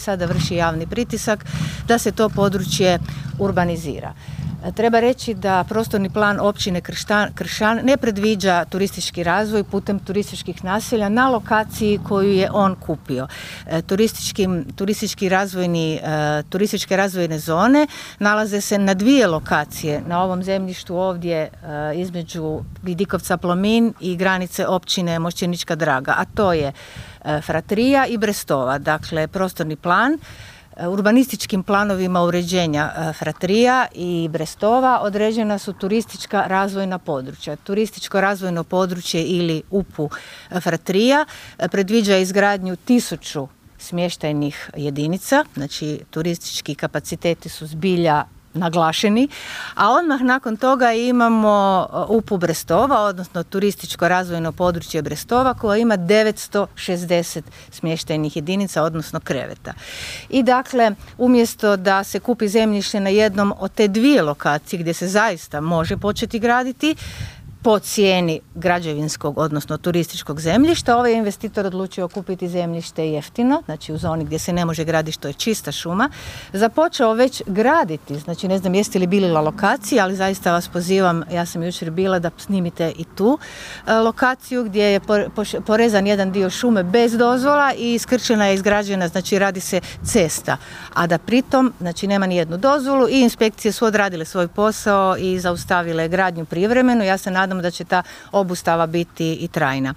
sada vrši javni pritisak da se to područje urbanizira. Treba reći da prostorni plan općine Kršan ne predviđa turistički razvoj putem turističkih naselja na lokaciji koju je on kupio. Turističke razvojne zone nalaze se na 2 lokacije na ovom zemljištu ovdje između Vidikovca Plomin i granice općine Mošćenička Draga, a to je Fratrija i Brestova. Dakle, prostorni plan urbanističkim planovima uređenja Fratrija i Brestova određena su turistička razvojna područja. Turističko razvojno područje ili UPU Fratrija predviđa izgradnju 1000 smještajnih jedinica, znači turistički kapaciteti su zbilja naglašeni, a odmah nakon toga imamo UPU Brestova, odnosno turističko razvojno područje Brestova koja ima 960 smještajnih jedinica, odnosno kreveta. I dakle, umjesto da se kupi zemljište na jednom od te 2 lokacije gdje se zaista može početi graditi, po cijeni građevinskog, odnosno turističkog zemljišta, ovaj investitor odlučio kupiti zemljište jeftino, znači u zoni gdje se ne može graditi, što je čista šuma, započeo već graditi, znači ne znam jeste li bili na lokaciji, ali zaista vas pozivam, ja sam jučer bila da snimite i tu lokaciju gdje je porezan jedan dio šume bez dozvola i iskrčena je, izgrađena, znači radi se cesta, a da pritom, znači nema ni jednu dozvolu i inspekcije su odradile svoj posao i zaustavile gradnju privremeno. Ja se nadam da će ta obustava biti i trajna.